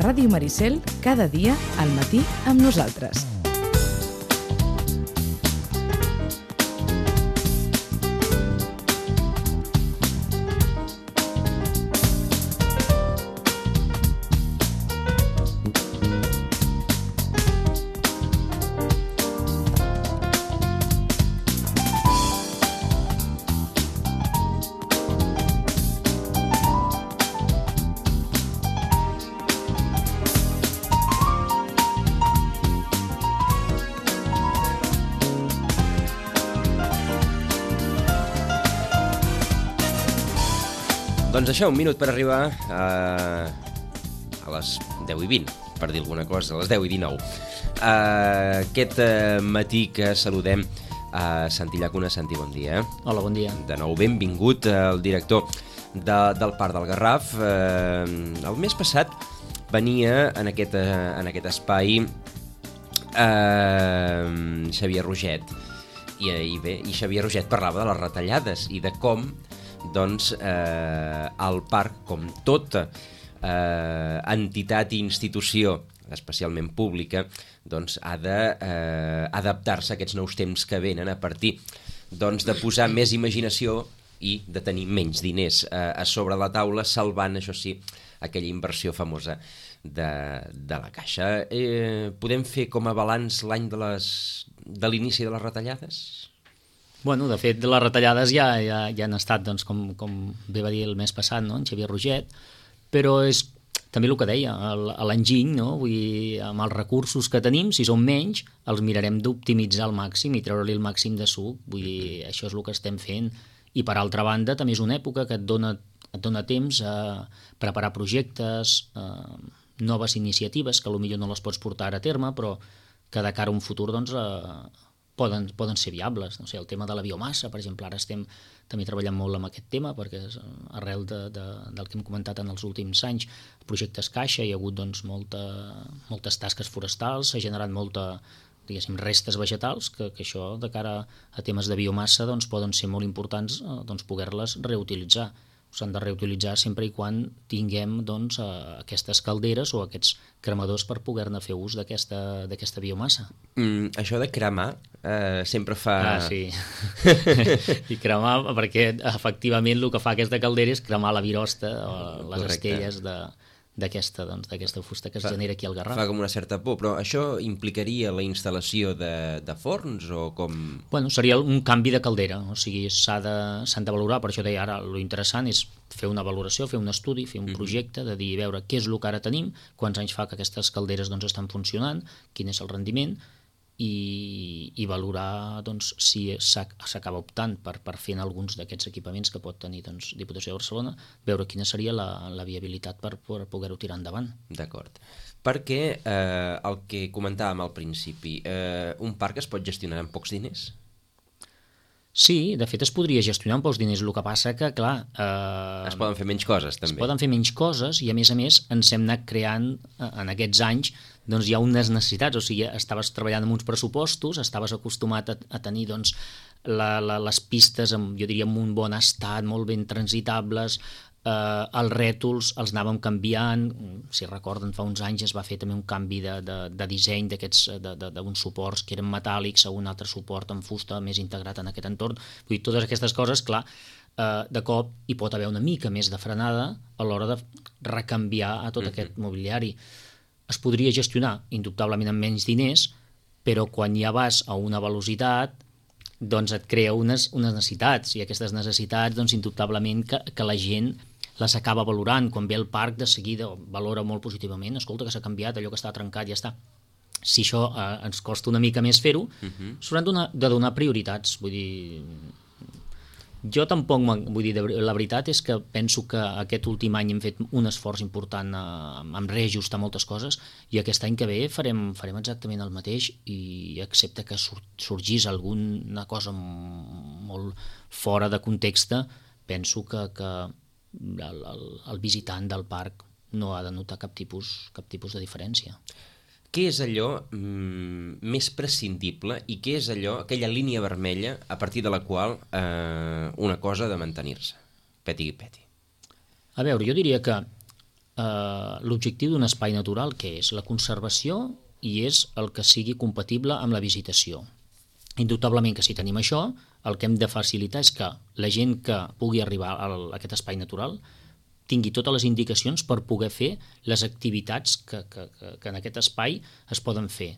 Ràdio Maricel, cada dia al matí amb nosaltres. Doncs això, un minut per arribar a les 10:20, per dir alguna cosa, a les 10:19. Aquest matí que saludem a Santi Llacuna. Santi, bon dia. Hola, bon dia. De nou, benvingut, el director del Parc del Garraf. El mes passat venia en aquest espai Xavier Roget. I Xavier Roget parlava de les retallades i de com el parc, com tota entitat i institució, especialment pública, ha d'adaptar-se a aquests nous temps que venen a partir de posar més imaginació i de tenir menys diners a sobre la taula, salvant, això sí, aquella inversió famosa de la Caixa. Podem fer com a balanç l'any de l'inici de les retallades? Bueno, de fet, les retallades ja han estat, doncs, com bé va dir el mes passat, no?, en Xavier Roget, però és també el que deia, a l'enginy, no?, vull dir, amb els recursos que tenim, si són menys, els mirarem d'optimitzar al màxim i treure-li el màxim de suc. Vull dir, això és el que estem fent. I per altra banda, també és una època que et dona temps a preparar projectes, noves iniciatives, que potser no les pots portar a terme, però que de cara a un futur, doncs, poden ser viables. No sé, el tema de la biomassa, per exemple, ara estem també treballant molt amb aquest tema, perquè arrel del que hem comentat en els últims anys, projectes Caixa, hi ha hagut doncs, moltes tasques forestals, s'ha generat diguéssim, restes vegetals, que això, de cara a temes de biomassa, doncs, poden ser molt importants poder-les reutilitzar. S'han de reutilitzar sempre i quan tinguem doncs, aquestes calderes o aquests cremadors per poder-ne fer ús d'aquesta biomassa. Això de cremar sempre fa... Sí. I cremar, perquè efectivament el que fa aquesta caldera és cremar la virosta o les estelles d'aquesta fusta que es genera aquí al Garraf. Fa com una certa por, però això implicaria la instal·lació de forns o com...? Bueno, seria un canvi de caldera, o sigui, s'han de valorar, per això deia ara, lo interessant és fer una valoració, fer un estudi, fer un projecte, de dir, veure què és el que ara tenim, quants anys fa que aquestes calderes doncs, estan funcionant, quin és el rendiment, i valorar doncs, si s'acaba optant per fer en alguns d'aquests equipaments que pot tenir doncs, Diputació de Barcelona, veure quina seria la viabilitat per poder-ho tirar endavant. D'acord. Perquè el que comentàvem al principi, un parc es pot gestionar amb pocs diners? Sí, de fet es podria gestionar amb pocs diners, el que passa que, clar... Es poden fer menys coses, també. Es poden fer menys coses i, a més, ens hem anat creant en aquests anys doncs hi ha unes necessitats, o sigui, estaves treballant amb uns pressupostos, estaves acostumat a tenir doncs, les pistes, jo diria, en un bon estat, molt ben transitables, els rètols els anàvem canviant, si recorden fa uns anys es va fer també un canvi de disseny d'uns suports que eren metàl·lics a un altre suport en fusta més integrat en aquest entorn. Vull dir, totes aquestes coses, clar, de cop hi pot haver una mica més de frenada a l'hora de recanviar a tot aquest mobiliari. Es podria gestionar indubtablement amb menys diners, però quan ja vas a una velocitat doncs et crea unes necessitats, i aquestes necessitats doncs indubtablement que la gent les acaba valorant. Quan ve al parc de seguida valora molt positivament, escolta que s'ha canviat, allò que està trencat ja està. Si això ens costa una mica més fer-ho, s'hauran de donar prioritats. Vull dir, jo tampoc, vull dir, la veritat és que penso que aquest últim any hem fet un esforç important en reajustar moltes coses, i aquest any que ve farem exactament el mateix, i excepte que sorgís alguna cosa molt fora de context, penso que el visitant del parc no ha de notar cap tipus de diferència. Què és allò més prescindible i què és allò, aquella línia vermella a partir de la qual una cosa ha de mantenir-se? Peti. A veure, jo diria que l'objectiu d'un espai natural, que és la conservació i és el que sigui compatible amb la visitació. Indubtablement que si tenim això, el que hem de facilitar és que la gent que pugui arribar a aquest espai natural tingui totes les indicacions per poder fer les activitats que en aquest espai es poden fer,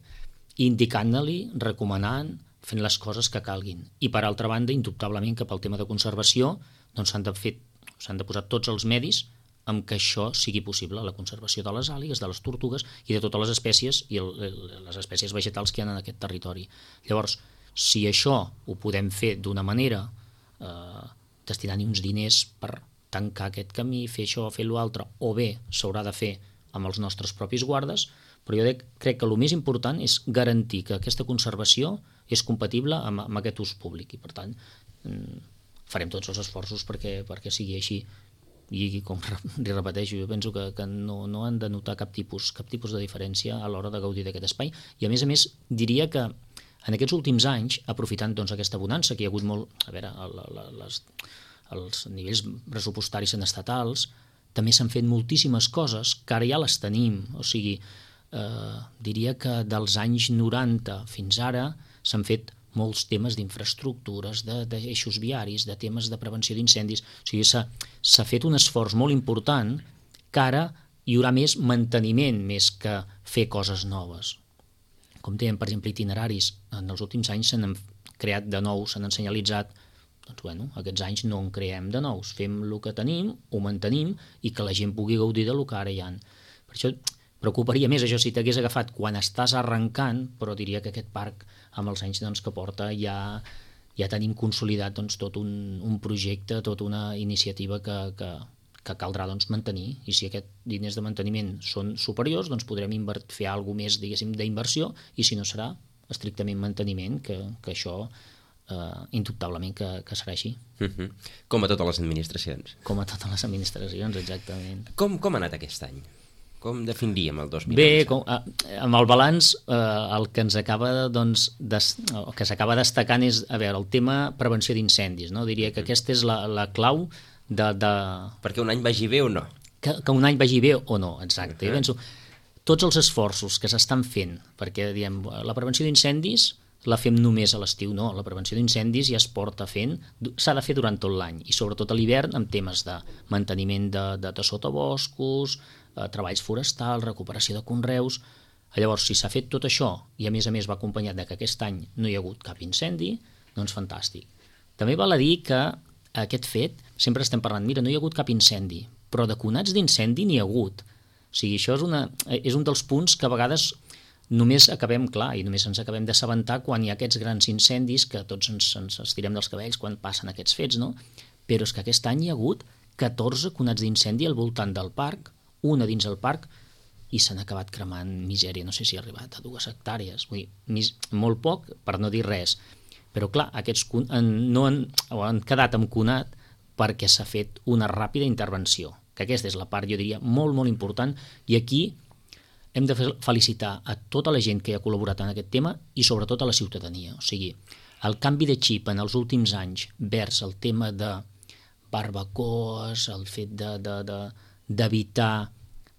indicant-li, recomanant, fent les coses que calguin. I per altra banda, indubtablement que pel tema de conservació doncs s'han de posar tots els medis amb què això sigui possible, la conservació de les àligues, de les tortugues i de totes les espècies i les espècies vegetals que hi ha en aquest territori. Llavors, si això ho podem fer d'una manera destinant-hi uns diners per tancar aquest camí, fer això, fer l'altre, o bé s'haurà de fer amb els nostres propis guardes, però jo crec que el més important és garantir que aquesta conservació és compatible amb aquest ús públic i per tant farem tots els esforços perquè sigui així. I com li repeteixo, jo penso que no han de notar cap tipus de diferència a l'hora de gaudir d'aquest espai i a més diria que en aquests últims anys, aprofitant doncs, aquesta bonança que hi ha hagut molt, a veure, els nivells pressupostaris en estatals, també s'han fet moltíssimes coses que ara ja les tenim, o sigui, diria que dels anys 90 fins ara s'han fet molts temes d'infraestructures, d'eixos viaris, de temes de prevenció d'incendis. O sigui, s'ha fet un esforç molt important que ara hi haurà més manteniment més que fer coses noves. Com dèiem, per exemple, itineraris. En els últims anys s'han creat de nous, s'han senyalitzat. Doncs, bueno, aquests anys no en creem de nous. Fem el que tenim, ho mantenim i que la gent pugui gaudir del que ara hi ha. Per això preocuparia més això si t'hagués agafat quan estàs arrencant, però diria que aquest parc amb els anys doncs, que porta ja tenim consolidat doncs, tot un projecte, tota una iniciativa que caldrà doncs, mantenir i si aquests diners de manteniment són superiors doncs podrem fer alguna més d'inversió i si no serà estrictament manteniment que això indubtablement que serà així. Com a totes les administracions. Com a totes les administracions, exactament. Com ha anat aquest any? Com definiríem el 2011? Bé, amb el balanç el que ens acaba doncs, que s'acaba destacant és el tema prevenció d'incendis, no? Diria que aquesta és la clau de... Perquè un any vagi bé o no? Que un any vagi bé o no, exacte. Jo penso, tots els esforços que s'estan fent, perquè diem, la prevenció d'incendis la fem només a l'estiu, no, la prevenció d'incendis ja es porta fent, s'ha de fer durant tot l'any i sobretot a l'hivern amb temes de manteniment de sotaboscos, treballs forestals, recuperació de conreus. Llavors, si s'ha fet tot això i a més va acompanyat que aquest any no hi ha hagut cap incendi, doncs fantàstic. També val a dir que aquest fet, sempre estem parlant, mira, no hi ha hagut cap incendi, però de conats d'incendi n'hi ha hagut. O sigui, això és un dels punts que a vegades només acabem, clar, i només ens acabem d'assabentar quan hi ha aquests grans incendis que tots ens estirem dels cabells quan passen aquests fets, no? Però és que aquest any hi ha hagut 14 conats d'incendi al voltant del parc, una dins el parc, i s'han acabat cremant misèria, no sé si ha arribat a 2 hectàrees, vull dir, molt poc, per no dir res. Però clar, aquests han quedat amb conat perquè s'ha fet una ràpida intervenció, que aquesta és la part, jo diria, molt, molt important, i aquí hem de felicitar a tota la gent que ha col·laborat en aquest tema i sobretot a la ciutadania. O sigui, el canvi de xip en els últims anys vers el tema de barbacoes, el fet d'evitar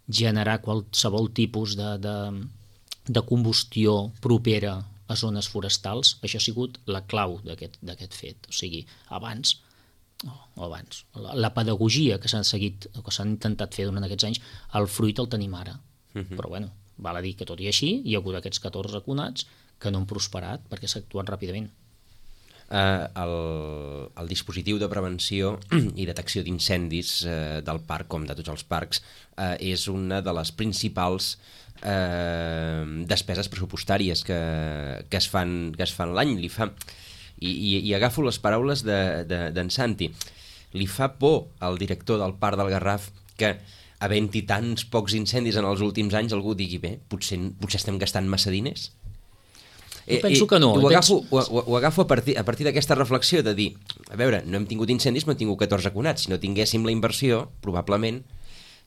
generar qualsevol tipus de combustió propera a zones forestals, això ha sigut la clau d'aquest fet. O sigui, abans, la pedagogia que s'han seguit, que s'han intentat fer durant aquests anys, el fruit el tenim ara. Però bueno, val a dir que tot i així hi ha hagut aquests 14 conats que no han prosperat perquè s'ha actuat ràpidament. El dispositiu de prevenció i detecció d'incendis del parc, com de tots els parcs, és una de les principals despeses pressupostàries que es fan l'any. I agafo les paraules d'en Santi. Li fa por al director del Parc del Garraf que havent-hi tants pocs incendis en els últims anys algú digui, bé, potser estem gastant massa diners? Jo penso que no. Ho agafo a partir d'aquesta reflexió de dir, a veure, no hem tingut incendis, no hem tingut 14 conats. Si no tinguéssim la inversió, probablement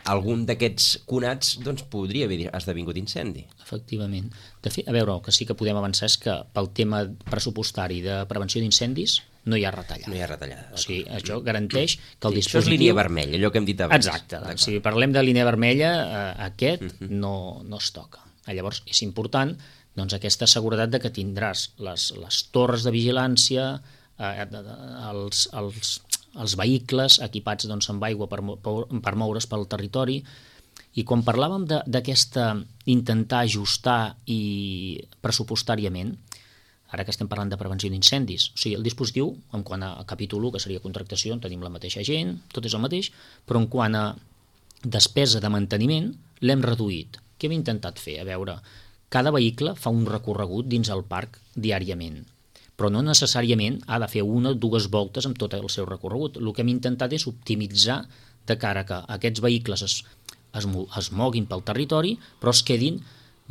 algun d'aquests conats doncs, podria haver esdevingut incendi. Efectivament. De fet, a veure, el que sí que podem avançar és que pel tema pressupostari de prevenció d'incendis no hi ha retallada. No hi ha retallada. O sigui, això garanteix que el dispositiu... Això és línia vermella, allò que hem dit abans. Exacte. Si parlem de línia vermella, aquest no es toca. Llavors, és important doncs, aquesta seguretat de que tindràs les torres de vigilància, els vehicles equipats doncs, amb aigua per moure's pel territori. I quan parlàvem d'aquesta intentar ajustar i pressupostàriament, ara que estem parlant de prevenció d'incendis, o sigui, el dispositiu, en quant a capítol 1, que seria contractació, tenim la mateixa gent, tot és el mateix, però en quant a despesa de manteniment, l'hem reduït. Què hem intentat fer? A veure, cada vehicle fa un recorregut dins el parc diàriament, però no necessàriament ha de fer 1 o 2 voltes amb tot el seu recorregut. El que hem intentat és optimitzar de cara que aquests vehicles es moguin pel territori, però es quedin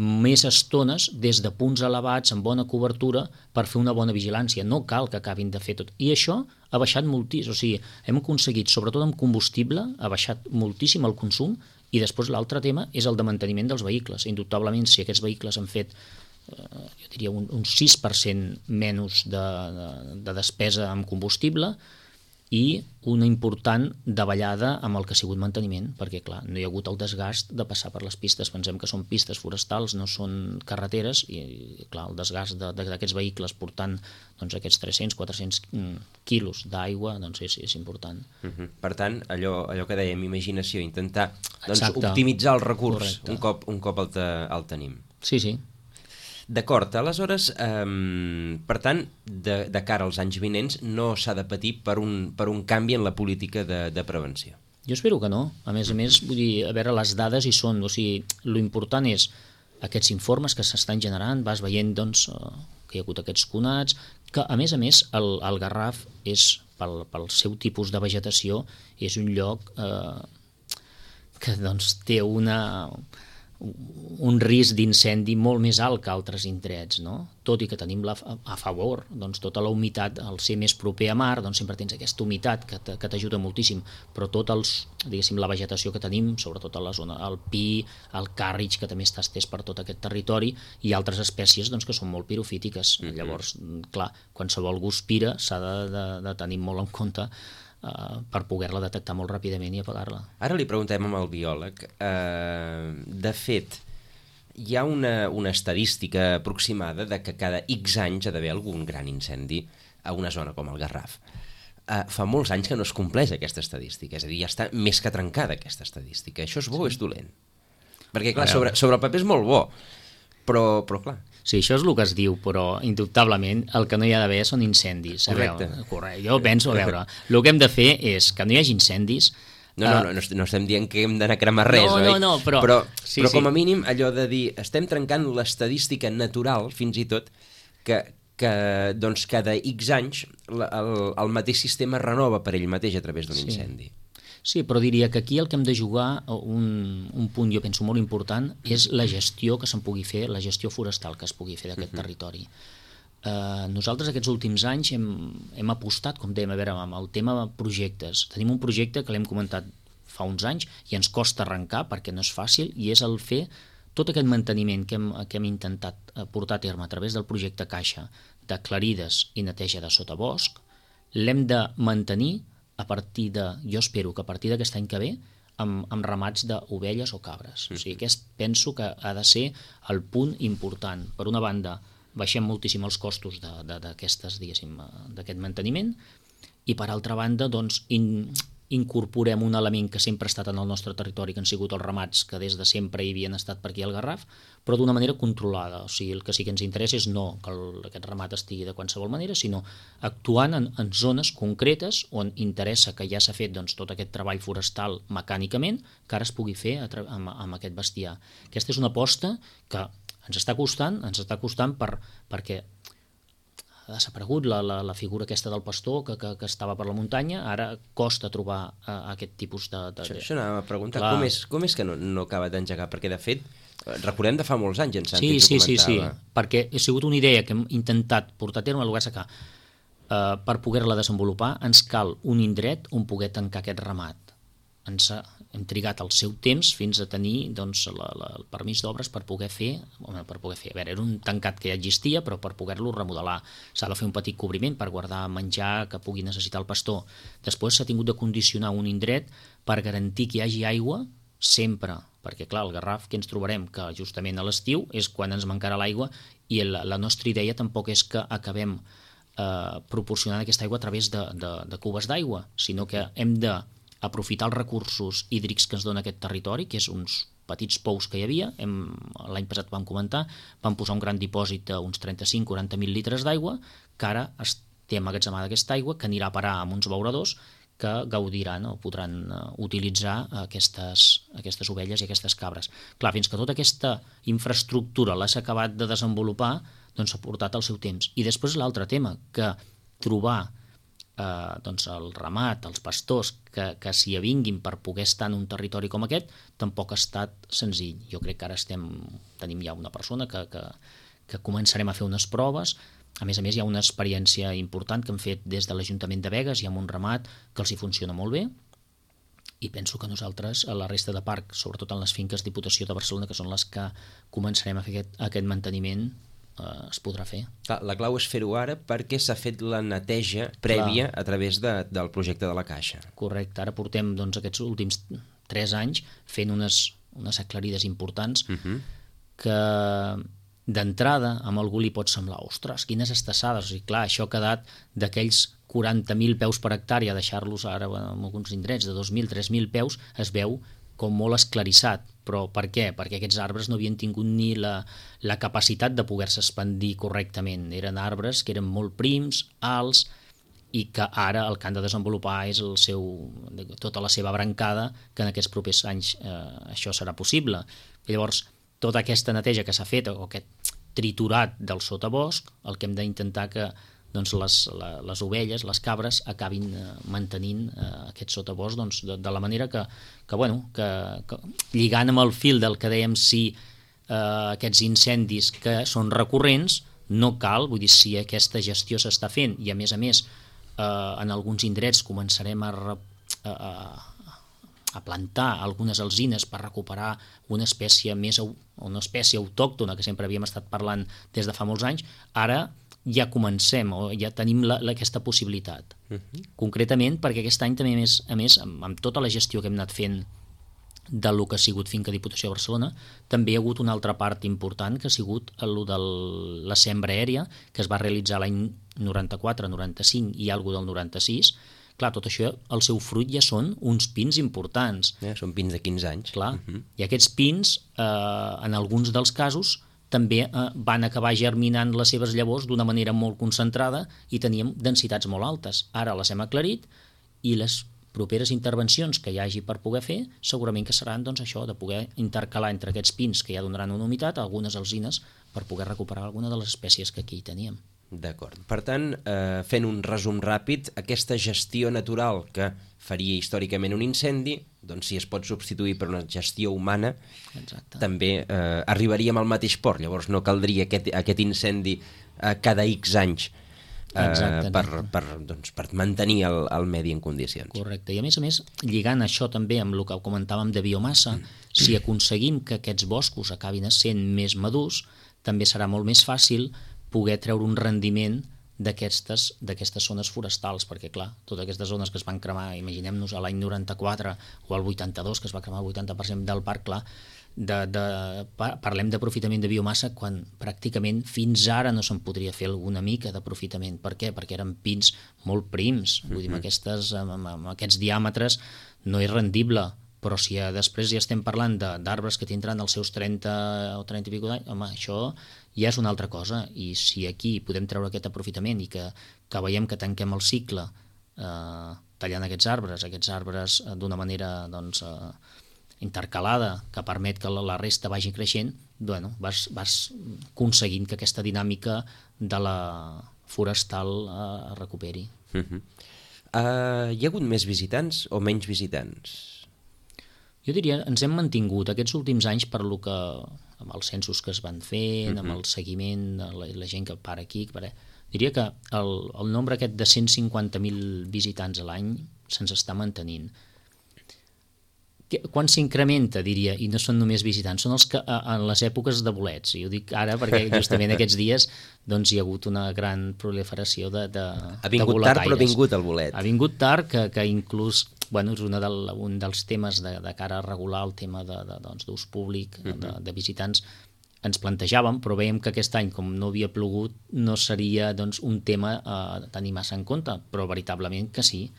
més estones des de punts elevats amb bona cobertura per fer una bona vigilància. No cal que acabin de fer tot. I això ha baixat moltíssim. O sigui, hem aconseguit, sobretot amb combustible, ha baixat moltíssim el consum. I després l'altre tema és el de manteniment dels vehicles. Indubtablement, si aquests vehicles han fet jo diria un 6% menys de despesa amb combustible i una important davallada amb el que ha sigut manteniment, perquè clar, no hi ha hagut el desgast de passar per les pistes. Pensem que són pistes forestals, no són carreteres, i clar, el desgast d'aquests vehicles portant doncs, aquests 300-400 quilos d'aigua doncs és important. Per tant, allò que dèiem, imaginació, intentar doncs, optimitzar el recurs un cop el tenim. Sí. D'acord, aleshores, per tant, de cara als anys vinents no s'ha de patir per un canvi en la política de prevenció. Jo espero que no. A més, vull dir, a veure, les dades hi són. O sigui, l'important és aquests informes que s'estan generant, vas veient doncs, que hi ha hagut aquests conats, que a més, el Garraf és, pel seu tipus de vegetació, és un lloc que doncs, té un risc d'incendi molt més alt que altres indrets, no? Tot i que tenim a favor doncs, tota la humitat, al ser més proper a mar, doncs sempre tens aquesta humitat que t'ajuda moltíssim, però la vegetació que tenim, sobretot a la zona, el pi, el càrrig, que també està estès per tot aquest territori, i altres espècies doncs, que són molt pirofítiques. Llavors, clar, qualsevol guspira s'ha de tenir molt en compte per poder-la detectar molt ràpidament i apagar-la. Ara li preguntem al biòleg. De fet, hi ha una estadística aproximada de que cada X anys ha d'haver algun gran incendi a una zona com el Garraf. Fa molts anys que no es compleix aquesta estadística, és a dir, ja està més que trencada aquesta estadística. Això és bo o és dolent? Perquè, clar, sobre el paper és molt bo, però clar... Sí, això és el que es diu, però indubtablement el que no hi ha d'haver són incendis. Correcte. Jo penso, a veure, el que hem de fer és que no hi hagi incendis. No estem dient que hem d'anar a cremar res, oi? No, però com a mínim allò de dir, estem trencant l'estadística natural, fins i tot, que doncs cada X anys el mateix sistema renova per ell mateix a través d'un incendi. Sí, però diria que aquí el que hem de jugar, un punt jo penso molt important, és la gestió que se'n pugui fer, la gestió forestal que es pugui fer d'aquest territori. Nosaltres aquests últims anys hem apostat, com dèiem, a veure, amb el tema de projectes. Tenim un projecte que l'hem comentat fa uns anys i ens costa arrencar perquè no és fàcil, i és el fer tot aquest manteniment que hem intentat portar a terme a través del projecte Caixa de clarides i neteja de sotabosc, l'hem de mantenir a partir jo espero que a partir d'aquest any que ve, amb ramats d'ovelles o cabres. O sigui, penso que ha de ser el punt important. Per una banda, baixem moltíssim els costos d'aquest manteniment, i per altra banda, doncs, incorporem un element que sempre ha estat en el nostre territori, que han sigut els ramats que des de sempre hi havien estat per aquí al Garraf, però d'una manera controlada. O sigui, el que sí que ens interessa és no que aquest ramat estigui de qualsevol manera, sinó actuant en zones concretes on interessa que ja s'ha fet doncs, tot aquest treball forestal mecànicament, que ara es pugui fer amb aquest bestiar. Aquesta és una aposta que ens està costant perquè ha desaparegut la figura aquesta del pastor que estava per la muntanya, ara costa trobar aquest tipus de... Això anava a preguntar, com és que no acaba d'engegar? Perquè, de fet, recordem de fa molts anys, en Santi ens ho comentava. Sí, perquè ha sigut una idea que hem intentat portar a terme, al que per poder-la desenvolupar ens cal un indret on poder tancar aquest ramat. hem trigat el seu temps fins a tenir doncs, el permís d'obres per poder fer, a veure, era un tancat que ja existia, però per poder-lo remodelar s'ha de fer un petit cobriment per guardar menjar que pugui necessitar el pastor. Després s'ha tingut de condicionar un indret per garantir que hi hagi aigua sempre, perquè clar, el Garraf que ens trobarem que justament a l'estiu és quan ens mancarà l'aigua i la nostra idea tampoc és que acabem proporcionant aquesta aigua a través de cubes d'aigua, sinó que hem d'aprofitar els recursos hídrics que ens dona aquest territori, que és uns petits pous que hi havia, l'any passat vam comentar, vam posar un gran dipòsit d'uns 35-40.000 litres d'aigua, que ara té emmagatzemada aquesta aigua, que anirà a parar amb uns beuradors que gaudiran o podran utilitzar aquestes ovelles i aquestes cabres. Clar, fins que tota aquesta infraestructura l'has acabat de desenvolupar, doncs s'ha portat el seu temps. I després l'altre tema, que trobar doncs el ramat, els pastors que s'hi avinguin per poder estar en un territori com aquest, tampoc ha estat senzill. Jo crec que ara tenim ja una persona que començarem a fer unes proves. A més, hi ha una experiència important que hem fet des de l'Ajuntament de Begues i amb un ramat que els hi funciona molt bé, i penso que nosaltres, a la resta de parc, sobretot en les finques Diputació de Barcelona, que són les que començarem a fer aquest manteniment, es podrà fer. La clau és fer-ho ara perquè s'ha fet la neteja prèvia a través del projecte de la Caixa. Correcte, ara portem aquests últims 3 anys fent unes aclarides importants que d'entrada a algú li pot semblar, ostres, quines estassades, o sigui, clar, això ha quedat d'aquells 40.000 peus per hectàrea, deixar-los ara en alguns indrets de 2.000, 3.000 peus, es veu com molt esclarissat. Però per què? Perquè aquests arbres no havien tingut ni la capacitat de poder-se expandir correctament. Eren arbres que eren molt prims, alts, i que ara el que han de desenvolupar és tota la seva brancada, que en aquests propers anys això serà possible. Llavors, tota aquesta neteja que s'ha fet, o aquest triturat del sotabosc, el que hem d'intentar que doncs, les ovelles, les cabres, acabin mantenint aquest sotabosc doncs, de la manera que lligant amb el fil del que dèiem, si aquests incendis que són recurrents, no cal, vull dir, si aquesta gestió s'està fent i a més en alguns indrets començarem a plantar algunes alzines per recuperar una espècie autòctona que sempre havíem estat parlant des de fa molts anys, ara ja comencem o ja tenim aquesta possibilitat. Concretament perquè aquest any també, a més, amb tota la gestió que hem anat fent del que ha sigut Finca Diputació de Barcelona, també hi ha hagut una altra part important que ha sigut el de la sembra aèria, que es va realitzar l'any 94, 95 i alguna del 96. Clar, tot això, el seu fruit ja són uns pins importants. Són pins de 15 anys. Clar, i aquests pins, en alguns dels casos, també van acabar germinant les seves llavors d'una manera molt concentrada i teníem densitats molt altes. Ara les hem aclarit i les properes intervencions que hi hagi per poder fer segurament que seran doncs, això, de poder intercalar entre aquests pins que ja donaran una humitat algunes alzines per poder recuperar alguna de les espècies que aquí teníem. D'acord. Per tant, fent un resum ràpid, aquesta gestió natural que faria històricament un incendi, doncs si es pot substituir per una gestió humana, també arribaríem al mateix port. Llavors no caldria aquest incendi cada X anys per mantenir el medi en condicions. Correcte. I a més, lligant això també amb el que comentàvem de biomassa, si aconseguim que aquests boscos acabin sent més madurs, també serà molt més fàcil poder treure un rendiment d'aquestes zones forestals, perquè clar, totes aquestes zones que es van cremar, imaginem-nos a l'any 94 o al 82, que es va cremar el 80% del parc, clar, parlem d'aprofitament de biomassa quan pràcticament fins ara no se'n podria fer alguna mica d'aprofitament. Per què? Perquè eren pins molt prims, vull dir, amb aquests diàmetres no és rendible, però si després ja estem parlant d'arbres que tindran els seus 30 o 30 i escaig d'anys, home, això ja és una altra cosa, i si aquí podem treure aquest aprofitament i que veiem que tanquem el cicle tallant aquests arbres d'una manera doncs, intercalada, que permet que la resta vagi creixent, bueno, vas aconseguint que aquesta dinàmica de la forestal es recuperi. Hi ha hagut més visitants o menys visitants? Jo diria, ens hem mantingut aquests últims anys per lo que, amb els censos que es van fent, amb el seguiment, la gent que para aquí, diria que el nombre aquest de 150.000 visitants a l'any se'ns està mantenint. Quan s'incrementa, diria, i no són només visitants, són els que en les èpoques de bolets. I ho dic ara perquè justament aquests dies doncs, hi ha hagut una gran proliferació de boletaires. Ha vingut tard, però ha vingut el bolet. Ha vingut tard, que inclús és un dels temes de cara a regular el tema d'ús públic, de visitants, ens plantejàvem, però veiem que aquest any, com no havia plogut, no seria un tema a tenir massa en compte, però veritablement que sí.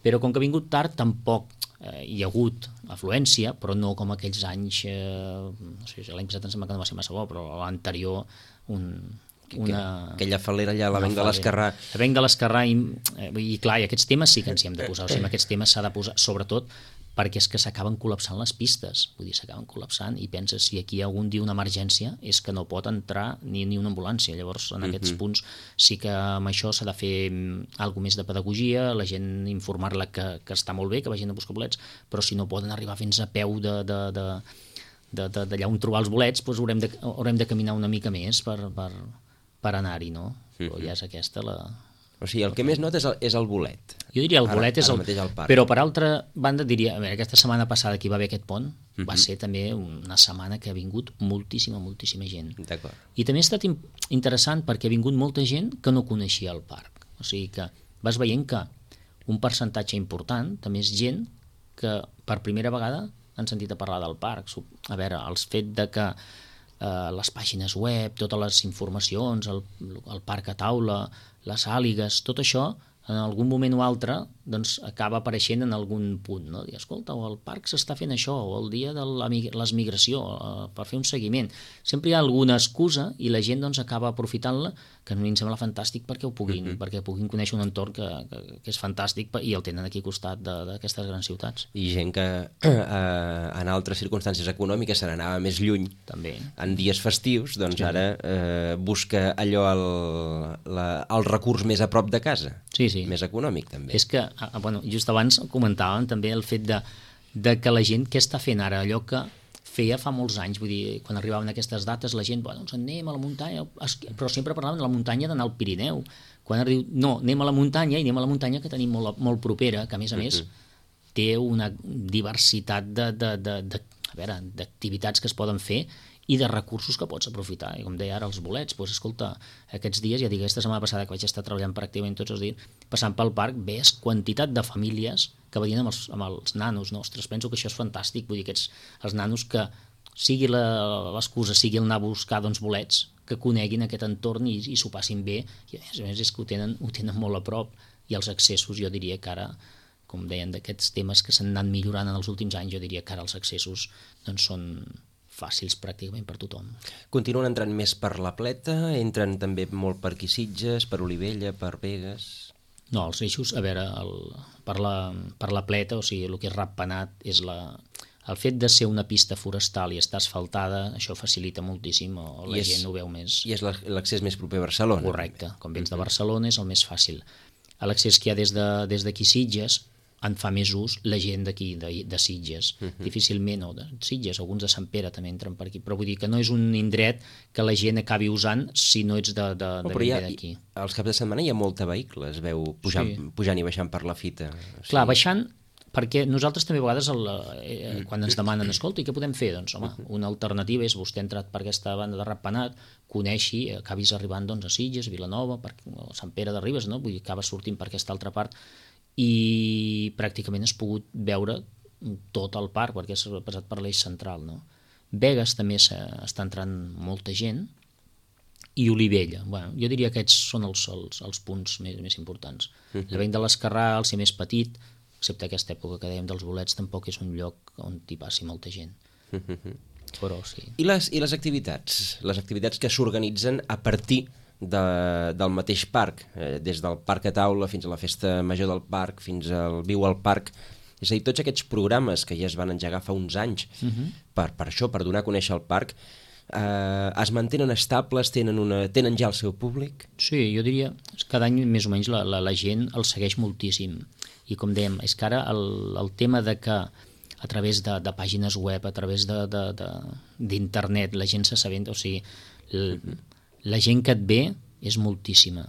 Però com que ha vingut tard, tampoc hi ha hagut afluència, però no com aquells anys, no sé, l'any passat em sembla que no va ser massa bo, però l'anterior aquella falera allà, la Venc de l'Esquerrà. La Venc de l'Esquerrà, i clar, i aquests temes sí que ens hi hem de posar, o sigui, aquests temes s'ha de posar, sobretot perquè és que s'acaben col·lapsant les pistes, vull dir, s'acaben col·lapsant, i penses, si aquí algun dia una emergència, és que no pot entrar ni una ambulància. Llavors, en aquests punts, sí que amb això s'ha de fer alguna més de pedagogia, la gent informar-la que està molt bé, que vagin a buscar bolets, però si no poden arribar fins a peu d'allà on trobar els bolets, doncs haurem de caminar una mica més per anar-hi, no? Però ja és aquesta la... O sigui, el que més nota és el bolet. Jo diria el bolet és el mateix al parc. Però per altra banda diria, a veure, aquesta setmana passada que hi va haver aquest pont, va ser també una setmana que ha vingut moltíssima gent. D'acord. I també ha estat interessant perquè ha vingut molta gent que no coneixia el parc. O sigui que vas veient que un percentatge important també és gent que per primera vegada han sentit a parlar del parc. A veure, el fet de que les pàgines web, totes les informacions, el parc a taula, les àligues, tot això, en algun moment o altre, doncs acaba apareixent en algun punt, no? Dir, escolta, el parc s'està fent això, o el dia de l'emigració, per fer un seguiment. Sempre hi ha alguna excusa i la gent doncs acaba aprofitant-la, que a mi em sembla fantàstic perquè puguin conèixer un entorn que és fantàstic i el tenen aquí al costat d'aquestes grans ciutats. I gent que en altres circumstàncies econòmiques se n'anava més lluny, també en dies festius, doncs ara busca allò el recurs més a prop de casa. Sí. Més econòmic, també. És que, just abans comentàvem també el fet de que la gent què està fent ara, allò que feia fa molts anys, vull dir, quan arribaven aquestes dates la gent, doncs anem a la muntanya, però sempre parlaven de la muntanya d'anar al Pirineu. Quan ara diu, no, anem a la muntanya, i anem a la muntanya que tenim molt propera, que a més té una diversitat d'activitats que es poden fer i de recursos que pots aprofitar. I com deia ara, els bolets, doncs escolta, aquests dies, ja dic, aquesta setmana passada que vaig estar treballant pràcticament tots els dies, passant pel parc, ves quantitat de famílies que venien amb els nanos, no? Ostres, penso que això és fantàstic, vull dir, els nanos que sigui l'excusa, sigui el anar a buscar bolets, que coneguin aquest entorn i s'ho passin bé, i a més és que ho tenen molt a prop, i els accessos, jo diria que ara, com deien, d'aquests temes que s'han anat millorant en els últims anys, jo diria que ara els accessos doncs són fàcils pràcticament per tothom. Continuen entrant més per la Pleta, entren també molt per aquí Sitges, per Olivella, per Begues... No, els eixos, a veure, per la Pleta, o sigui, el que és Ratpenat, és el fet de ser una pista forestal i estar asfaltada, això facilita moltíssim, o la gent ho veu més... I és l'accés més proper a Barcelona. Correcte, com vens de Barcelona és el més fàcil. L'accés que hi ha des d'aquí Sitges en fa més ús la gent d'aquí, de Sitges. Difícilment, o de Sitges, alguns de Sant Pere també entren per aquí, però vull dir que no és un indret que la gent acabi usant si no ets d'aquí. Als caps de setmana hi ha molta vehicle, es veu pujant i baixant per la fita. Clar, baixant, perquè nosaltres també a vegades quan ens demanen, escolta, i què podem fer? Doncs home, una alternativa és vostè ha entrat per aquesta banda de Ratpenat, coneixi, acabis arribant a Sitges, Vilanova, Sant Pere de Ribes, no? Vull dir, acabes sortint per aquesta altra part i pràcticament has pogut veure tot el parc perquè has passat per l'eix central, no? Begues també està entrant molta gent i Olivella, jo diria que aquests són els punts més importants. La Venc de l'Esquerrà, al ser més petit, excepte aquesta època que dèiem dels bolets, tampoc és un lloc on hi passi molta gent. Però sí. I les activitats? Les activitats que s'organitzen a partir del mateix parc, des del parc a taula fins a la festa major del parc, fins al Viu al Parc. És a dir, tots aquests programes que ja es van engegar fa uns anys per això, per donar a conèixer el parc, es mantenen estables, tenen ja el seu públic? Sí, jo diria que cada any més o menys la gent el segueix moltíssim. I com dèiem, és que ara el tema de que a través de pàgines web, a través d'internet, la gent s'assabenta, o sigui, la gent que et ve és moltíssima.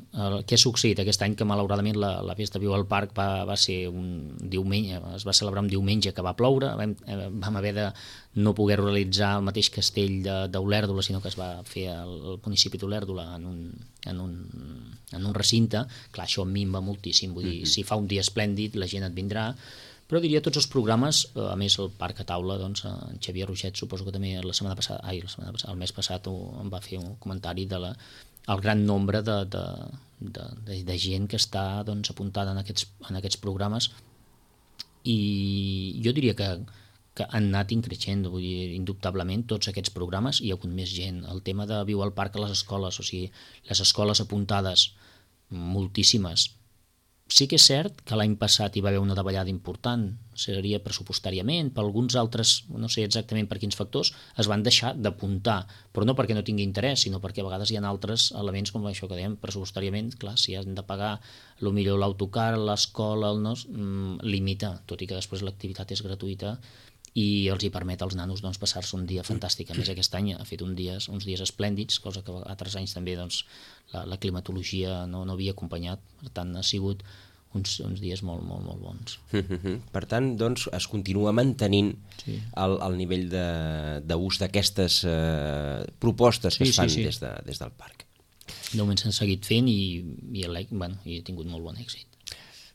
Què ha succeït aquest any? Que malauradament la festa Viu al Parc va ser un diumenge, es va celebrar un diumenge que va ploure, vam haver de no poder realitzar el mateix castell d'Olèrdola, sinó que es va fer al municipi d'Olèrdola en un recinte. Clar, això minva moltíssim, vull dir, si fa un dia esplèndid la gent et vindrà, però diria tots els programes, a més el Parc a Taula, doncs en Xavier Roget suposo que també el mes passat em va fer un comentari de el gran nombre de gent que està doncs, apuntada en aquests programes, i jo diria que han anat increixent, vull dir, indubtablement tots aquests programes hi ha hagut més gent. El tema de Viu al Parc a les escoles, o sigui, les escoles apuntades moltíssimes. Sí que és cert que l'any passat hi va haver una davallada important, seria pressupostàriament, per alguns altres, no sé exactament per quins factors, es van deixar d'apuntar, però no perquè no tingui interès, sinó perquè a vegades hi ha altres elements com això que dèiem, pressupostàriament, clar, si han de pagar potser l'autocar, l'escola, limita, tot i que després l'activitat és gratuïta i els hi permet als nanos doncs, passar-se un dia fantàstic. A més, aquest any ha fet uns dies esplèndids, cosa que altres anys també doncs, la climatologia no havia acompanyat, per tant ha sigut uns dies molt, molt, molt bons. Per tant, doncs, es continua mantenint el nivell d'ús d'aquestes propostes que es fan des del parc. De moment s'han seguit fent i he tingut molt bon èxit.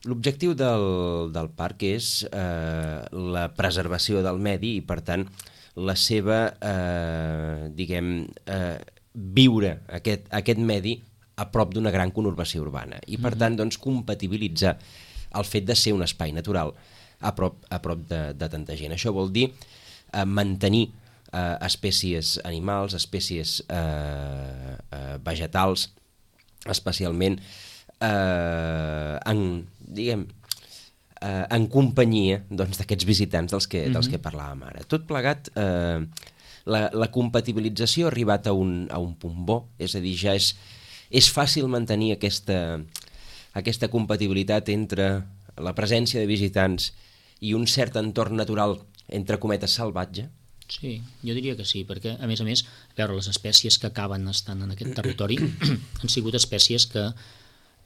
L'objectiu del parc és la preservació del medi i, per tant, la seva, viure aquest medi a prop d'una gran conurbació urbana i, per tant, doncs, compatibilitzar el fet de ser un espai natural a prop de tanta gent. Això vol dir mantenir espècies animals, espècies vegetals, especialment en companyia d'aquests visitants dels que parlàvem ara. Tot plegat, la compatibilització ha arribat a un punt bo, és a dir, ja és fàcil mantenir aquesta compatibilitat entre la presència de visitants i un cert entorn natural, entre cometes, salvatge. Sí, jo diria que sí, perquè a més, les espècies que acaben estant en aquest territori han sigut espècies que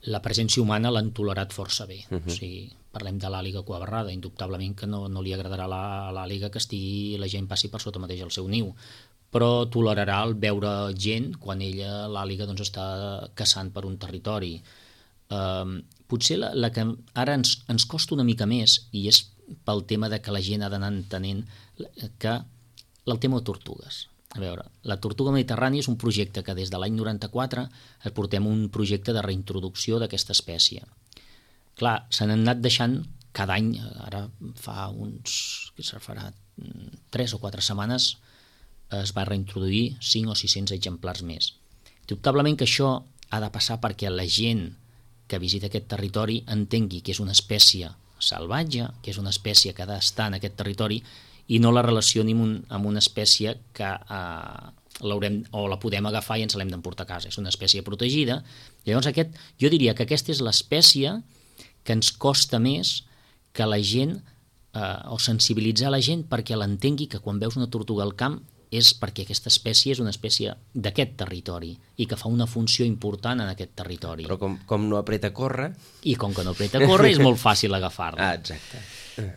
la presència humana l'han tolerat força bé. O sigui, parlem de l'àliga cuabarrada, indubtablement que no li agradarà a l'àliga que la gent passi per sota mateix el seu niu, però tolerarà el veure gent quan l'àliga doncs, està caçant per un territori. Potser la que ara ens costa una mica més, i és pel tema de que la gent ha d'anar entenent que el tema de tortugues. A veure, la tortuga mediterrània és un projecte que des de l'any 94 portem un projecte de reintroducció d'aquesta espècie. Clar, se n'han anat deixant cada any, ara fa farà 3 o 4 setmanes es va reintroduir 5 o 600 exemplars més. Indubtablement que això ha de passar perquè la gent que visita aquest territori entengui que és una espècie salvatge, que és una espècie que ha d'estar en aquest territori i no la relacioni amb una espècie que la podem agafar i ens l'hem d'emportar a casa. És una espècie protegida. Llavors jo diria que aquesta és l'espècie que ens costa més que la gent, o sensibilitzar la gent perquè l'entengui que quan veus una tortuga al camp és perquè aquesta espècie és una espècie d'aquest territori i que fa una funció important en aquest territori. Però com no apreta a córrer... I com que no apreta a córrer és molt fàcil agafar-la. Exacte.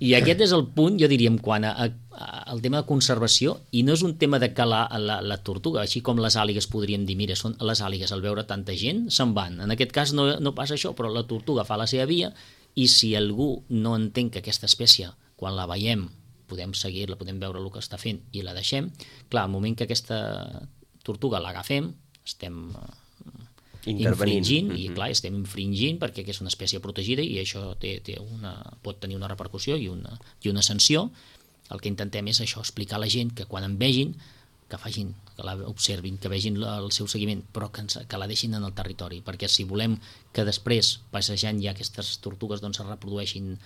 I aquest és el punt, jo diríem, quan al tema de conservació, i no és un tema de que la tortuga, així com les àligues podríem dir, mira, són les àligues al veure tanta gent, se'n van. En aquest cas no passa això, però la tortuga fa la seva via i si algú no entén que aquesta espècie, quan la veiem, podem seguir-la, podem veure el que està fent i la deixem, clar, al moment que aquesta tortuga l'agafem, estem infringint, i clar, estem infringint perquè és una espècie protegida i això pot tenir una repercussió i una sanció. El que intentem és això, explicar a la gent que quan en vegin, que l'observin, que vegin el seu seguiment, però que la deixin en el territori, perquè si volem que després, passejant ja aquestes tortugues, doncs es reprodueixin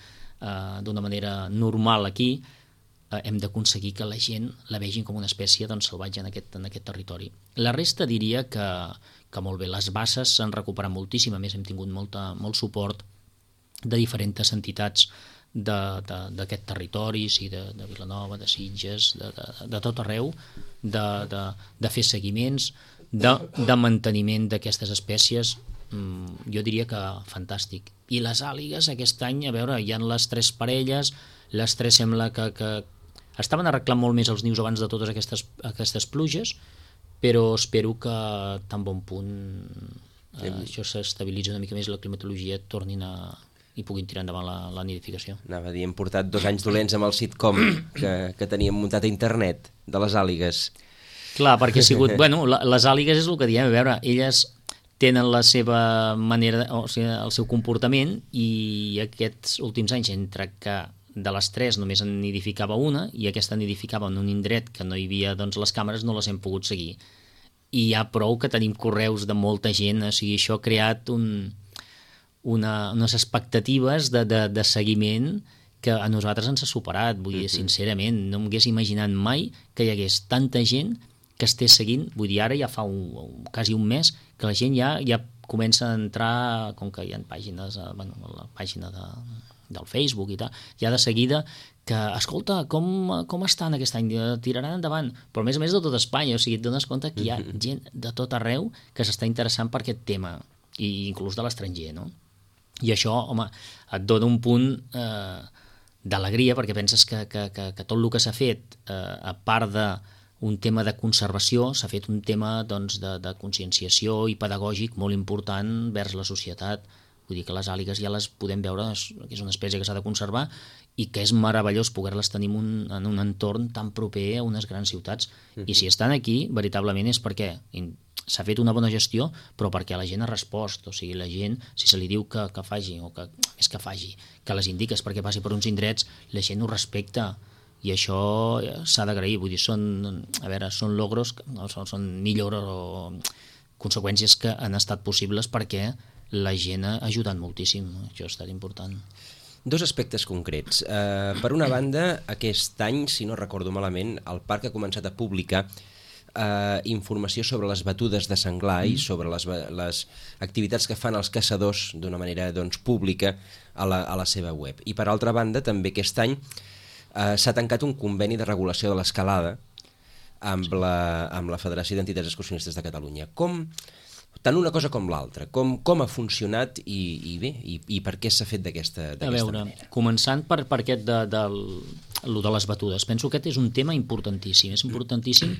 d'una manera normal aquí, hem d'aconseguir que la gent la vegin com una espècie salvatge en aquest territori. La resta diria que molt bé, les basses s'han recuperat moltíssim, a més hem tingut molt suport de diferents entitats d'aquest territori, sí, de Vilanova, de Sitges, de tot arreu, de fer seguiments, de manteniment d'aquestes espècies, jo diria que fantàstic. I les àligues aquest any, a veure, hi ha les 3 parelles, les 3 sembla que estaven arreglant molt més els nius abans de totes aquestes pluges, però espero que tan bon punt això s'estabilitza una mica més, la climatologia tornin i puguin tirar endavant la nidificació. Anava a dir, hem portat 2 anys dolents amb el sitcom que teníem muntat a internet de les àligues. Clar, perquè ha sigut... Bueno, les àligues és el que diem, a veure, elles tenen la seva manera, o sigui, el seu comportament, i aquests últims anys, entre que de les 3 només en nidificava una, i aquesta nidificava en un indret que no hi havia, doncs les càmeres no les hem pogut seguir. I hi ha prou que tenim correus de molta gent, o sigui, això ha creat unes expectatives de seguiment que a nosaltres ens ha superat. Vull dir, sincerament, no m'hagués imaginat mai que hi hagués tanta gent que estés seguint. Vull dir, ara ja fa quasi un mes que la gent ja comença a entrar, com que hi ha pàgines, bueno, la pàgina del Facebook i tal, ja de seguida que, escolta, com estan aquest any? Tiraran endavant? Però a més de tot Espanya, o sigui, et dones compte que hi ha gent de tot arreu que s'està interessant per aquest tema, i inclús de l'estranger, no? I això, home, et dona un punt d'alegria, perquè penses que tot el que s'ha fet, a part d'un tema de conservació, s'ha fet un tema doncs, de conscienciació i pedagògic molt important vers la societat. Vull dir que les àligues ja les podem veure, que és una espècie que s'ha de conservar i que és meravellós poder-les tenir en un entorn tan proper a unes grans ciutats. I si estan aquí, veritablement és perquè s'ha fet una bona gestió, però perquè la gent ha respost. O sigui, la gent, si se li diu que faci, o que més que faci, que les indiques perquè passi per uns indrets, la gent ho respecta. I això s'ha d'agrair. Vull dir, són logros, no, són millores o conseqüències que han estat possibles perquè la gent ha ajudat moltíssim. Això ha estat important. 2 aspectes concrets. Per una banda, aquest any, si no recordo malament, el parc ha començat a publicar informació sobre les batudes de senglar i sobre les activitats que fan els caçadors d'una manera doncs, pública a la seva web. I per altra banda, també aquest any s'ha tancat un conveni de regulació de l'escalada amb la Federació d'Entitats Excursionistes de Catalunya. Tant una cosa com l'altra, com ha funcionat i per què s'ha fet d'aquesta manera? Començant per aquest de les batudes, penso que aquest és un tema importantíssim. És importantíssim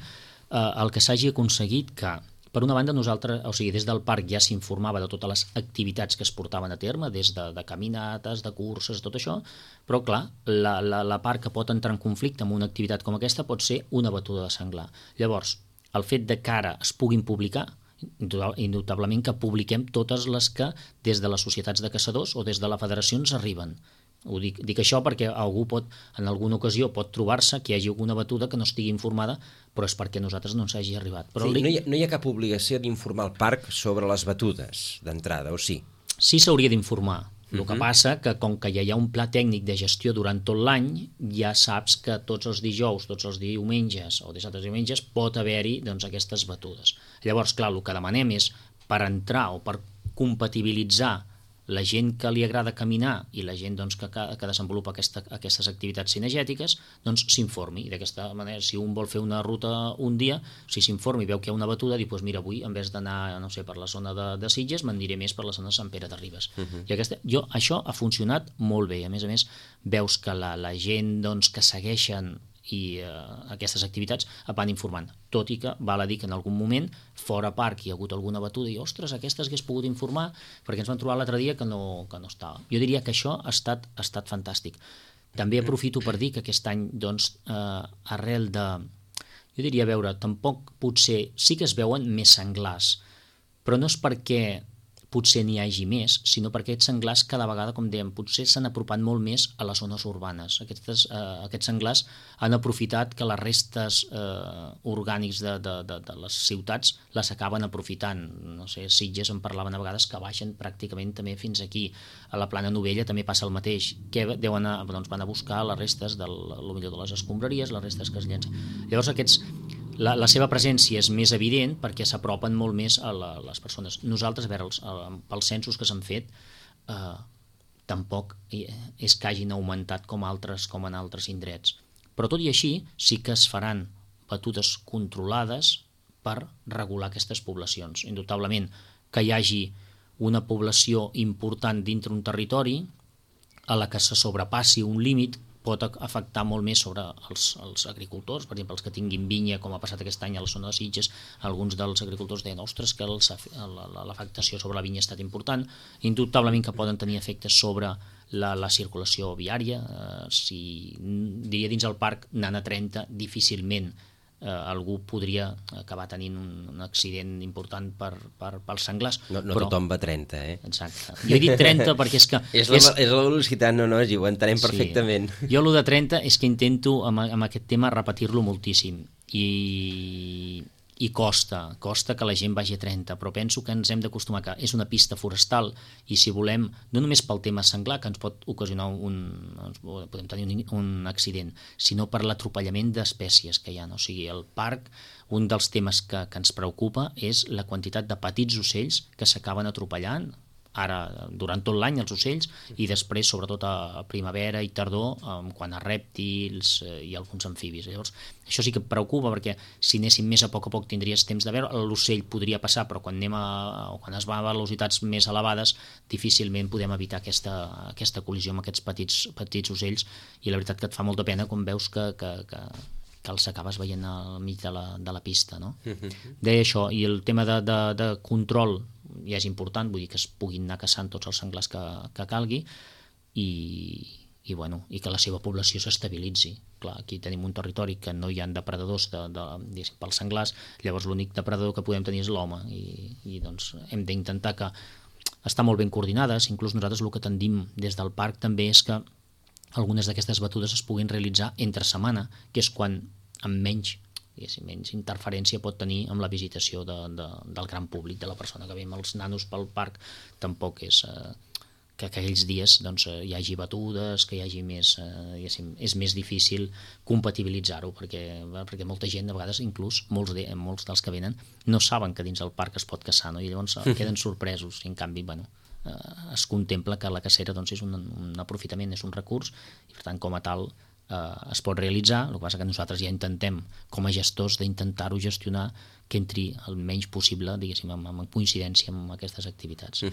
el que s'hagi aconseguit que, per una banda, nosaltres, o sigui, des del parc ja s'informava de totes les activitats que es portaven a terme, des de caminates, de curses, tot això, però clar, la part que pot entrar en conflicte amb una activitat com aquesta pot ser una batuda de senglar. Llavors, el fet de que ara es puguin publicar, indubtablement que publiquem totes les que des de les societats de caçadors o des de la federació ens arriben. Dic això perquè algú en alguna ocasió pot trobar-se que hi hagi alguna batuda que no estigui informada, però és perquè a nosaltres no ens hagi arribat. Però sí, no hi ha cap obligació d'informar el parc sobre les batudes d'entrada, o sí? Sí s'hauria d'informar. El que passa que com que ja hi ha un pla tècnic de gestió durant tot l'any, ja saps que tots els dijous, tots els diumenges o dissabtes i diumenges pot haver-hi doncs, aquestes batudes. Llavors, clar, el que demanem és per entrar o per compatibilitzar la gent que li agrada caminar i la gent doncs, que desenvolupa aquestes activitats cinegètiques, doncs s'informi. D'aquesta manera, si un vol fer una ruta un dia, si s'informi i veu que hi ha una batuda, diu, doncs mira, avui en vez d'anar, no sé, per la zona de Sitges, me'n diré més per la zona de Sant Pere de Ribes. I això ha funcionat molt bé. A més, veus que la gent doncs, que segueixen aquestes activitats van informant, tot i que val a dir que en algun moment fora parc hi ha hagut alguna batuda i ostres, aquestes hagués pogut informar perquè ens van trobar l'altre dia que no estava. Jo diria que això ha estat fantàstic. També aprofito per dir que aquest any doncs, arrel de, jo diria, veure, tampoc potser sí que es veuen més senglars, però no és perquè potser n'hi hagi més, sinó perquè aquests senglars cada vegada, com dèiem, potser s'han apropat molt més a les zones urbanes. Aquests senglars han aprofitat que les restes orgànics de les ciutats les acaben aprofitant. No sé, Sitges en parlaven a vegades que baixen pràcticament també fins aquí. A la Plana Novella també passa el mateix, que van a buscar les restes de les escombraries, les restes que es llencen. Llavors la seva presència és més evident perquè s'apropen molt més a les persones. Nosaltres, a veure, pels censos que s'han fet, tampoc és que hagin augmentat com en altres indrets. Però tot i així, sí que es faran batudes controlades per regular aquestes poblacions. Indubtablement que hi hagi una població important dintre un territori a la que se sobrepassi un límit pot afectar molt més sobre els agricultors, per exemple, els que tinguin vinya, com ha passat aquest any a la zona de Sitges, alguns dels agricultors deien, ostres, que l'afectació sobre la vinya ha estat important, indubtablement que poden tenir efectes sobre la circulació viària, diria dins el parc anant a 30 difícilment algú podria acabar tenint un accident important pels senglars. No tothom va a 30, Exacte. Jo he dit 30 perquè és que... És la velocitat, no, ho entenem perfectament. Jo el de 30 és que intento amb aquest tema repetir-lo moltíssim i costa que la gent vagi a 30, però penso que ens hem d'acostumar que és una pista forestal i si volem, no només pel tema senglar que ens pot ocasionar podem tenir un accident, sinó per l'atropellament d'espècies que hi ha. O sigui, el parc, un dels temes que ens preocupa és la quantitat de petits ocells que s'acaben atropellant ara durant tot l'any els ocells i després sobretot a primavera i tardor quan a rèptils i alguns amfibis. Llavors això sí que preocupa perquè si anéssim més a poc tindries temps de veure, l'ocell podria passar però quan es va a velocitats més elevades difícilment podem evitar aquesta col·lisió amb aquests petits ocells i la veritat que et fa molta pena quan veus que els acabes veient al mig de la pista, no? Deia això, i el tema de control ja és important, vull dir que es puguin anar caçant tots els senglars que calgui i que la seva població s'estabilitzi. Clar, aquí tenim un territori que no hi ha depredadors pels senglars, llavors l'únic depredador que podem tenir és l'home i doncs hem d'intentar que estar molt ben coordinades, inclús nosaltres el que tendim des del parc també és que algunes d'aquestes batudes es puguin realitzar entre setmana, que és quan amb menys interferència pot tenir amb la visitació del gran públic, de la persona que ve amb els nanos pel parc. Tampoc és que aquells dies hi hagi batudes, que hi hagi més... és més difícil compatibilitzar-ho, perquè molta gent, a vegades, inclús molts dels que venen, no saben que dins el parc es pot caçar, no? I llavors queden sorpresos, i en canvi, es contempla que la cacera és un aprofitament, és un recurs, i per tant, com a tal, es pot realitzar. El que passa que nosaltres ja intentem, com a gestors, d'intentar-ho gestionar que entri el menys possible, diguéssim, en coincidència amb aquestes activitats.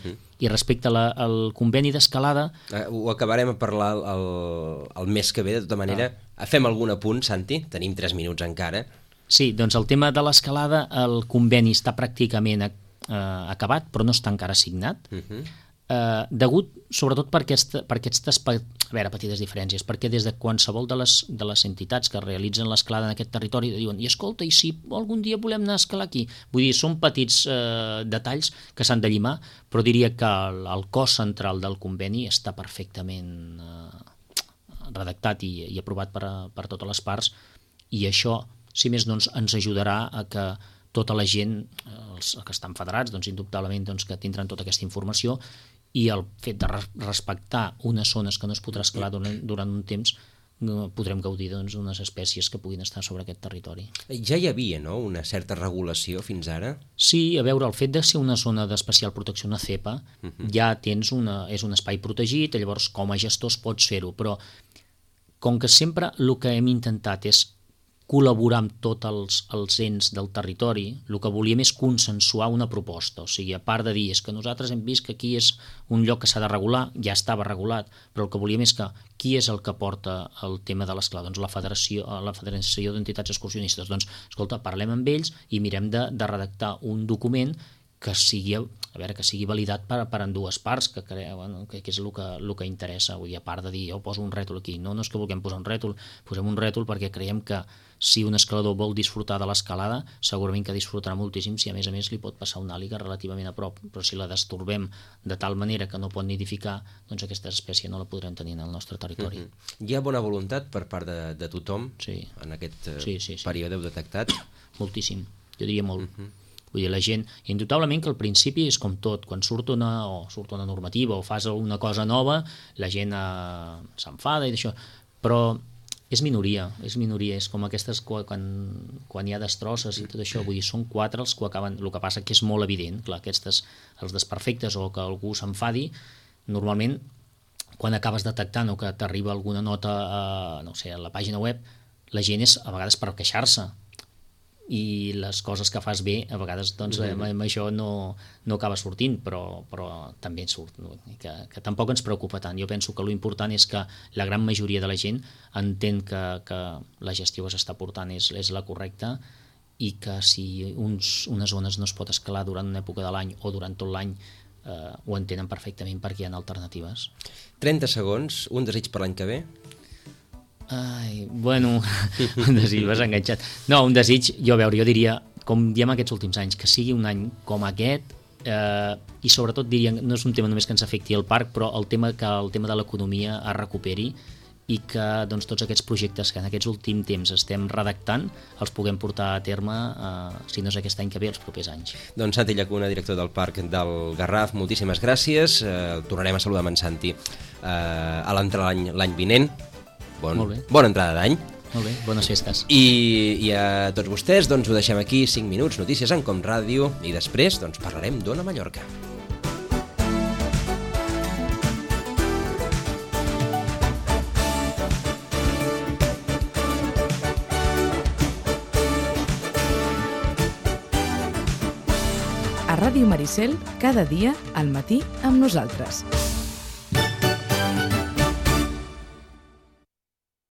I respecte al conveni d'escalada... Ho acabarem a parlar el mes que ve, de tota manera. Fem algun apunt, Santi? Tenim 3 minuts encara. Sí, doncs el tema de l'escalada, el conveni està pràcticament acabat, però no està encara signat. Degut, sobretot per aquestes petites diferències, perquè des de qualsevol de les entitats que realitzen l'escalada en aquest territori diuen, i escolta, i si algun dia volem anar a escalar aquí? Vull dir, són petits detalls que s'han de llimar, però diria que el cos central del conveni està perfectament redactat i aprovat per totes les parts, i això, si més no, ens ajudarà a que tota la gent, els que estan federats, indubtablement que tindran tota aquesta informació, i el fet de respectar unes zones que no es podrà escalar durant un temps, podrem gaudir d'unes espècies que puguin estar sobre aquest territori. Ja hi havia, no?, una certa regulació fins ara? Sí, a veure, el fet de ser una zona d'especial protecció, una CEPA, ja és un espai protegit, llavors com a gestors pots fer-ho, però com que sempre el que hem intentat és col·laborar amb tots els ens del territori, el que volíem és consensuar una proposta, o sigui, a part de dir és que nosaltres hem vist que aquí és un lloc que s'ha de regular, ja estava regulat, però el que volíem és que qui és el que porta el tema de l'escalada? Doncs la Federació d'Entitats Excursionistes. Doncs, escolta, parlem amb ells i mirem de redactar un document que sigui validat per ambdues parts, que és el que interessa. Vull dir, a part de dir, jo poso un rètol aquí, no és que vulguem posar un rètol, posem un rètol perquè creiem que si un escalador vol disfrutar de l'escalada, segurament que disfrutarà moltíssim si a més li pot passar una àliga relativament a prop, però si la destorbem de tal manera que no pot nidificar, doncs aquesta espècie no la podrem tenir en el nostre territori. Hi ha bona voluntat per part de tothom en aquest període heu detectat? Moltíssim, jo diria molt. Vull dir, la gent, indubtablement que al principi és com tot, quan surt una normativa o fas una cosa nova, la gent s'enfada i d'això, però és minoria, és com aquestes quan hi ha destrosses i tot això, vull dir, són 4 els que acaben, el que passa que és molt evident, clar, aquests, els desperfectes o que algú s'enfadi, normalment quan acabes detectant o que t'arriba alguna nota a la pàgina web, la gent és a vegades per queixar-se. i les coses que fas bé a vegades doncs, amb això no acaba sortint, però també surt, no? que tampoc ens preocupa tant. Jo penso que l'important és que la gran majoria de la gent entén que la gestió que s'està portant és la correcta i que si unes zones no es pot escalar durant una època de l'any o durant tot l'any ho entenen perfectament perquè hi ha alternatives. 30 segons, un desig per l'any que ve? Ai, bueno, un desig, m'has enganxat. No, un desig, jo diria, com diem aquests últims anys, que sigui un any com aquest, i sobretot diria, no és un tema només que ens afecti al parc, però el tema de l'economia es recuperi i que doncs, tots aquests projectes que en aquests últims temps estem redactant els puguem portar a terme, si no és aquest any que ve, els propers anys. Doncs Santi Llacuna, director del Parc del Garraf, moltíssimes gràcies. Tornarem a saludar amb en Santi a l'entrar l'any vinent. Bona entrada d'any. Molt bé, bones festes. I a tots vostès doncs, ho deixem aquí, 5 minuts, notícies en Com Ràdio, i després doncs, parlarem d'Ona Mallorca. A Ràdio Maricel, cada dia, al matí, amb nosaltres.